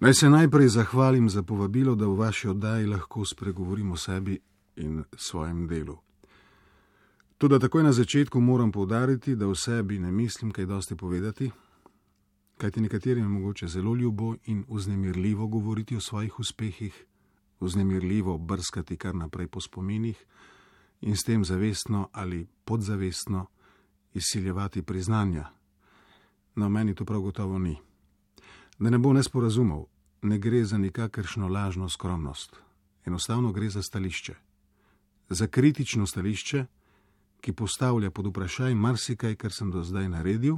Naj se najprej zahvalim za povabilo, da v vaši oddaji lahko spregovorim o sebi in svojem delu. Toda takoj na začetku moram poudariti, da o sebi ne mislim kaj dosti povedati, kajti nekaterim je mogoče zelo ljubo in vznemirljivo govoriti o svojih uspehih, vznemirljivo brskati kar naprej po spominih in s tem zavestno ali podzavestno izsiljevati priznanja. No, meni to prav gotovo ni. Da ne bo nesporazumov, ne gre za nikakršno lažno skromnost. Enostavno gre za stališče. Za kritično stališče, ki postavlja pod vprašaj marsikaj, kar sem do zdaj naredil,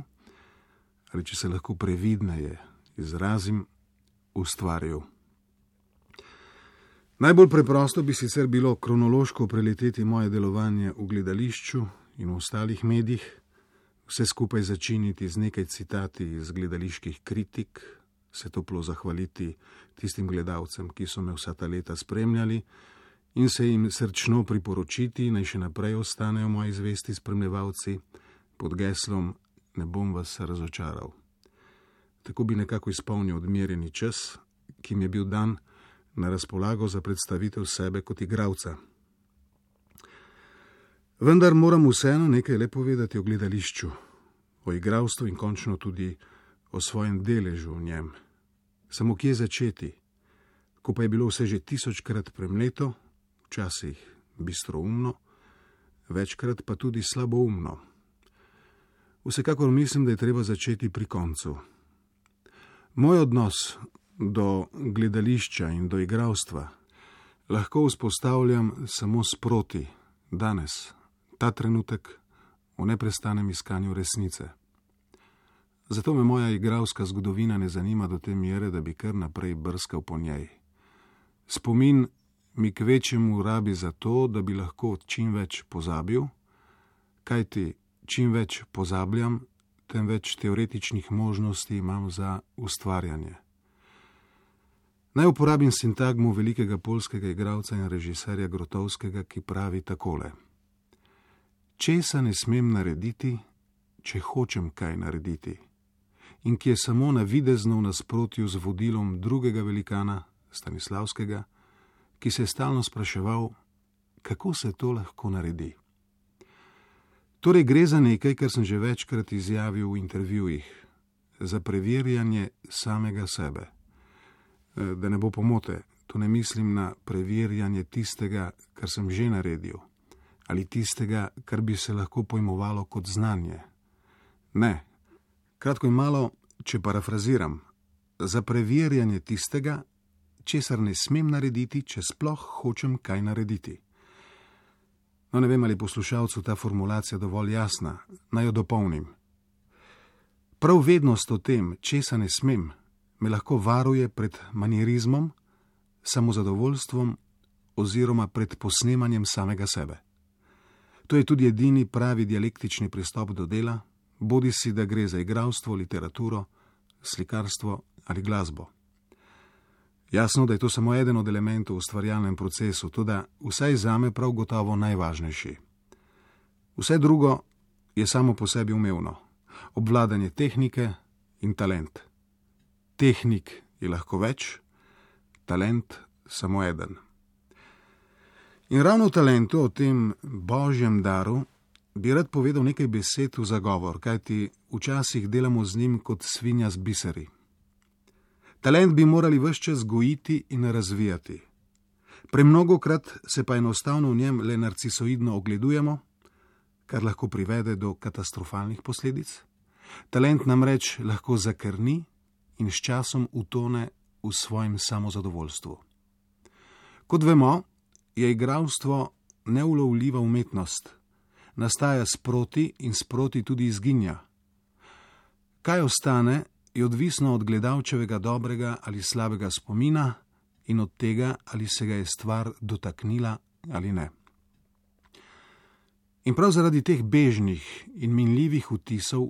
ali če se lahko previdneje izrazim, ustvaril. Najbolj preprosto bi sicer bilo kronološko preleteti moje delovanje v gledališču in v ostalih medijih, vse skupaj začiniti z nekaj citati iz gledaliških kritik, se toplo zahvaliti tistim gledalcem, ki so me vsa ta leta spremljali, in se jim srčno priporočiti, naj še naprej ostanejo moji zvesti spremljevalci pod geslom ne bom vas razočaral. Tako bi nekako izpolnil odmerjeni čas, ki mi je bil dan na razpolago za predstavitev sebe kot igralca. Vendar moram vseeno nekaj le povedati o gledališču, o igralstvu in končno tudi o svojem deležu v njem. Samo kje začeti, ko pa je bilo vse že 1000-krat premleto, včasih bistroumno, večkrat pa tudi slaboumno. Vsekakor mislim, da je treba začeti pri koncu. Moj odnos do gledališča in do igralstva lahko vzpostavljam samo sproti, danes, ta trenutek, v neprestanem iskanju resnice. Zato me moja igralska zgodovina ne zanima do te mere, da bi kar naprej brskal po njej. Spomin mi kvečjemu rabi za to, da bi lahko čim več pozabil, kajti čim več pozabljam, tem več teoretičnih možnosti imam za ustvarjanje. Naj uporabim sintagmo velikega poljskega igralca in režiserja Grotowskega, ki pravi takole: česa ne smem narediti, če hočem kaj narediti, in ki je samo navidezno v nasprotju z vodilom drugega velikana, Stanislavskega, ki se je stalno spraševal, kako se to lahko naredi. Torej gre za nekaj, kar sem že večkrat izjavil v intervjujih, za preverjanje samega sebe. Da ne bo pomote, tu ne mislim na preverjanje tistega, kar sem že naredil, ali tistega, kar bi se lahko pojmovalo kot znanje. Ne, kratko in malo, če parafraziram, za preverjanje tistega, česar ne smem narediti, če sploh hočem kaj narediti. No, ne vem, ali poslušalcu ta formulacija dovolj jasna, naj jo dopolnim. Prav vednost o tem, česa ne smem, me lahko varuje pred manierizmom, samozadovoljstvom oziroma pred posnemanjem samega sebe. To je tudi edini pravi dialektični pristop do dela, bodisi da gre za igralstvo, literaturo, slikarstvo ali glasbo. Jasno, da je to samo eden od elementov v ustvarjalnem procesu, toda vsaj zame prav gotovo najvažnejši. Vse drugo je samo po sebi umevno, obvladanje tehnike in talent. Tehnik je lahko več, talent samo eden. In ravno o talentu, o tem božjem daru, bi rad povedal nekaj besed v zagovor, kajti včasih delamo z njim kot svinja z biseri. Talent bi morali ves čas gojiti in razvijati. Premnogokrat se pa enostavno v njem le narcisoidno ogledujemo, kar lahko privede do katastrofalnih posledic. Talent namreč lahko zakrni in s časom utone v svojem samozadovoljstvu. Kot vemo, je igralstvo neulovljiva umetnost. Nastaja sproti in sproti tudi izginja. Kaj ostane, je odvisno od gledalčevega dobrega ali slabega spomina in od tega, ali se ga je stvar dotaknila ali ne. In prav zaradi teh bežnih in minljivih vtisov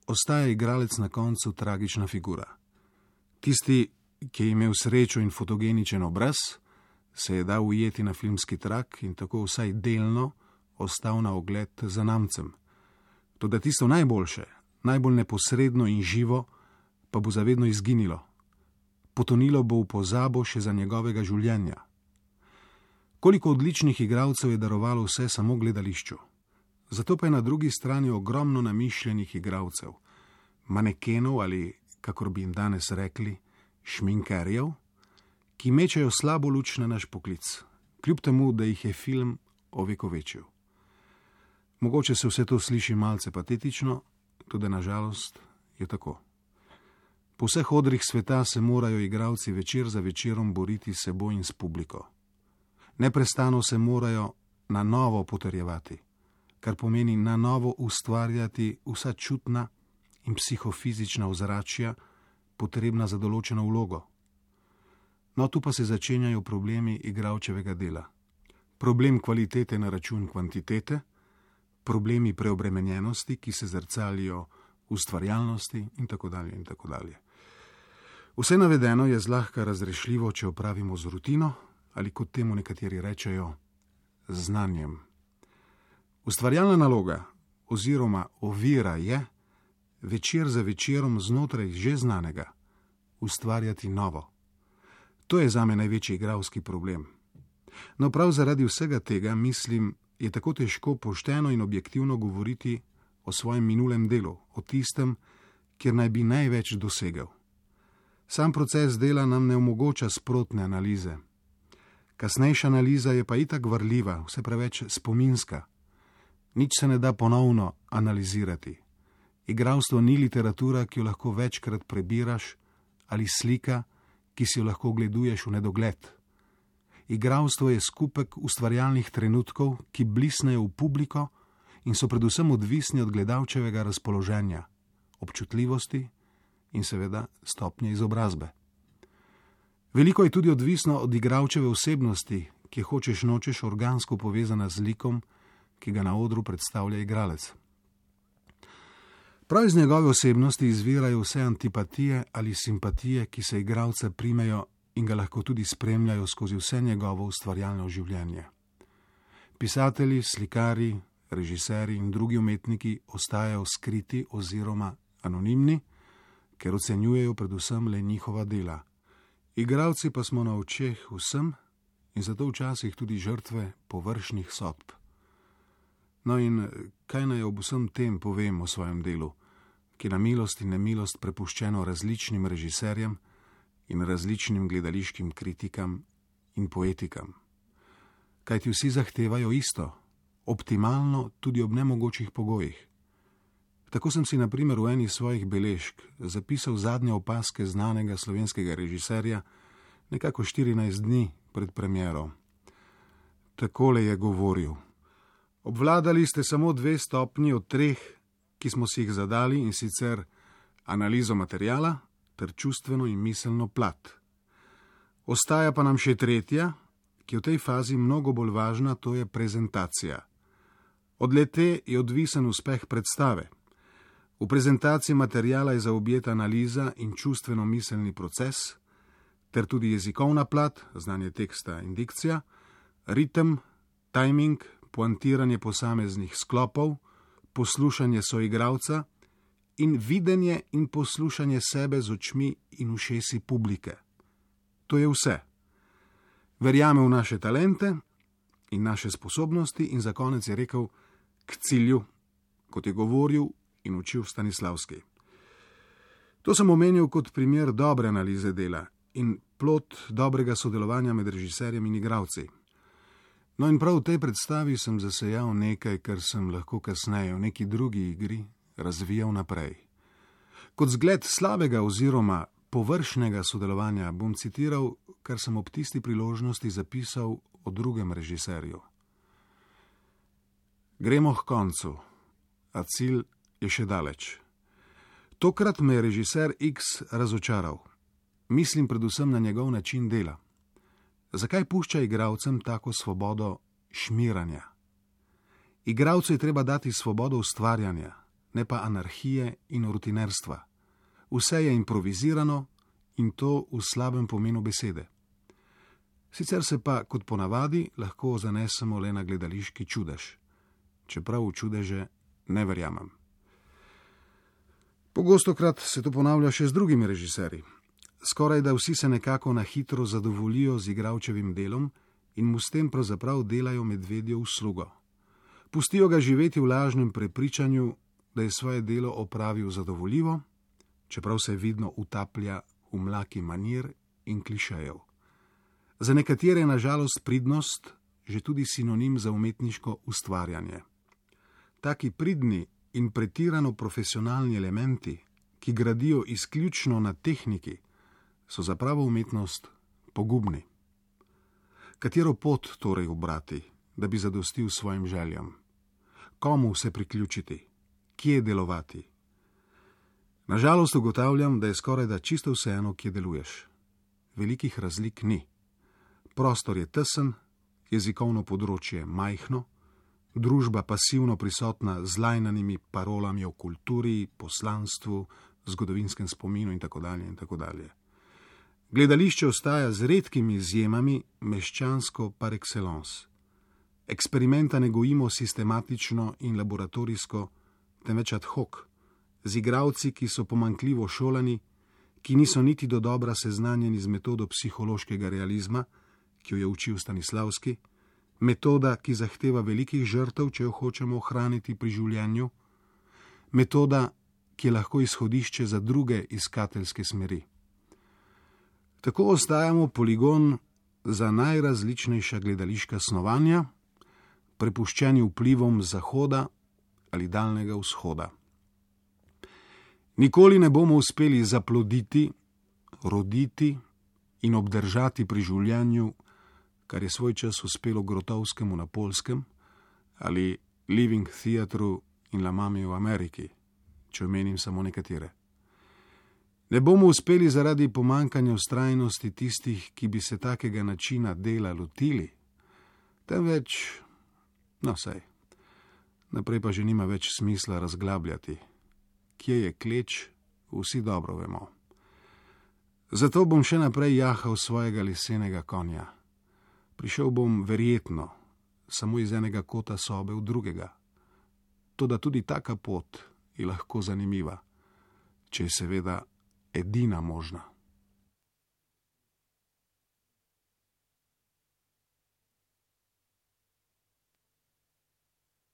ostaja igralec na koncu tragična figura. Tisti, ki je imel srečo in fotogeničen obraz, se je dal ujeti na filmski trak in tako vsaj delno ostal na ogled zanamcem. Toda tisto najboljše, najbolj neposredno in živo, pa bo zavedno izginilo. potonilo bo v pozabo še za njegovega življenja. Koliko odličnih igralcev je darovalo vse samo gledališču. Zato pa je na drugi strani ogromno namišljenih igralcev, manekenov ali, kakor bi jim danes rekli, šminkerjev, ki mečejo slabo luč na naš poklic, kljub temu, da jih je film ovekovečil. Mogoče se vse to sliši malce patetično, tudi nažalost je tako. Po vseh odrih sveta se morajo igralci večer za večerom boriti s seboj in s publiko. Neprestano se morajo na novo potrjevati, kar pomeni na novo ustvarjati vsa čutna in psihofizična ozračja, potrebna za določeno vlogo. No, tu pa se začenjajo problemi igralčevega dela. Problem kvalitete na račun kvantitete, problemi preobremenjenosti, ki se zrcalijo v ustvarjalnosti in tako dalje in tako dalje. Vse navedeno je zlahka razrešljivo, če opravimo z rutino ali, kot temu nekateri rečejo, znanjem. Ustvarjalna naloga oziroma ovira je večer za večerom znotraj že znanega ustvarjati novo. To je zame največji igralski problem. No, prav zaradi vsega tega, mislim, je tako težko pošteno in objektivno govoriti o svojem minulem delu, o tistem, kjer naj bi največ dosegel. Sam proces dela nam ne omogoča sprotne analize. Kasnejša analiza je pa itak varljiva, vse preveč spominska. Nič se ne da ponovno analizirati. Igralstvo ni literatura, ki jo lahko večkrat prebiraš, ali slika, ki si jo lahko ogleduješ v nedogled. Igralstvo je skupek ustvarjalnih trenutkov, ki blisnejo v publiko in so predvsem odvisni od gledalčevega razpoloženja, občutljivosti in seveda stopnje izobrazbe. Veliko je tudi odvisno od igralčeve osebnosti, ki je hočeš nočeš organsko povezana z likom, ki ga na odru predstavlja igralec. Prav iz njegove osebnosti izvirajo vse antipatije ali simpatije, ki se igralca primejo in ga lahko tudi spremljajo skozi vse njegovo ustvarjalno življenje. Pisatelji, slikari, režiserji in drugi umetniki ostajajo skriti oziroma anonimni, ker ocenjujejo predvsem le njihova dela. Igralci pa smo na očeh vsem in zato včasih tudi žrtve površnih sodb. No in kaj naj ob vsem tem povem o svojem delu, ki na milost in nemilost prepuščeno različnim režiserjem in različnim gledališkim kritikam in poetikam. Kajti vsi zahtevajo isto, optimalno tudi ob nemogočih pogojih. Tako sem si na primer v eni svojih beležk zapisal zadnje opazke znanega slovenskega režiserja nekako 14 dni pred premiero. Takole je govoril: obvladali ste samo 2 stopnji od 3, ki smo si jih zadali, in sicer analizo materiala ter čustveno in miselno plat. Ostaja pa nam še 3, ki je v tej fazi mnogo bolj važna, to je prezentacija. Od le-te je odvisen uspeh predstave. V prezentaciji materijala je zaobjeta analiza in čustveno-miselni proces, ter tudi jezikovna plat, znanje teksta in dikcija, ritem, tajming, poantiranje posameznih sklopov, poslušanje soigralca in videnje in poslušanje sebe z očmi in ušesi publike. To je vse. Verjame v naše talente in naše sposobnosti in za konec je rekel k cilju, kot je govoril in učil Stanislavski. To sem omenil kot primer dobre analize dela in plod dobrega sodelovanja med režiserjem in igralci. No in prav v tej predstavi sem zasejal nekaj, kar sem lahko kasneje v neki drugi igri razvijal naprej. Kot zgled slabega oziroma površnega sodelovanja bom citiral, kar sem ob tisti priložnosti zapisal o drugem režiserju. Gremo k koncu, a cilj je še daleč. Tokrat me je režiser X razočaral. Mislim predvsem na njegov način dela. Zakaj pušča igralcem tako svobodo šmiranja? Igralcu je treba dati svobodo ustvarjanja, ne pa anarhije in rutinerstva. Vse je improvizirano in to v slabem pomenu besede. Sicer se pa, kot ponavadi, lahko zanesemo le na gledališki čudež, čeprav v čudeže ne verjamem. Pogostokrat se to ponavlja še z drugimi režiserji. Skoraj da vsi se nekako na hitro zadovoljijo z igralčevim delom in mu s tem pravzaprav delajo medvedjo uslugo. Pustijo ga živeti v lažnem prepričanju, da je svoje delo opravil zadovoljivo, čeprav se vidno utaplja v mlaki manir in klišejev. Za nekatere je nažalost pridnost že tudi sinonim za umetniško ustvarjanje. Taki pridni in pretirano profesionalni elementi, ki gradijo izključno na tehniki, so za pravo umetnost pogubni. Katero pot torej ubrati, da bi zadostil svojim željam? Komu se priključiti? Kje delovati? Nažalost ugotavljam, da je skorajda čisto vseeno, kje deluješ. Velikih razlik ni. Prostor je tesen, jezikovno področje majhno, družba pasivno prisotna z lajnanimi parolami o kulturi, poslanstvu, zgodovinskem spominu in tako dalje in tako dalje. Gledališče ostaja z redkimi izjemami meščansko par excellence. Eksperimenta ne gojimo sistematično in laboratorijsko, temveč ad hoc, z igralci, ki so pomanjkljivo šolani, ki niso niti dodobra seznanjeni z metodo psihološkega realizma, ki jo je učil Stanislavski, metoda, ki zahteva velikih žrtev, če jo hočemo ohraniti pri življenju, metoda, ki je lahko izhodišče za druge iskateljske smeri. Tako ostajamo poligon za najrazličnejša gledališka snovanja, prepuščeni vplivom Zahoda ali Daljnega vzhoda. Nikoli ne bomo uspeli zaploditi, roditi in obdržati pri življenju, kar je svoj čas uspelo Grotovskemu na Poljskem ali Living Theatru in La Mami v Ameriki, če omenim samo nekatere. Ne bomo uspeli zaradi pomankanja vztrajnosti tistih, ki bi se takega načina dela lotili, temveč, saj, naprej pa že nima več smisla razglabljati. Kje je kleč, vsi dobro vemo. Zato bom še naprej jahal svojega lesenega konja. Prišel bom verjetno samo iz enega kota sobe v drugega. Toda tudi taka pot je lahko zanimiva, če je seveda edina možna.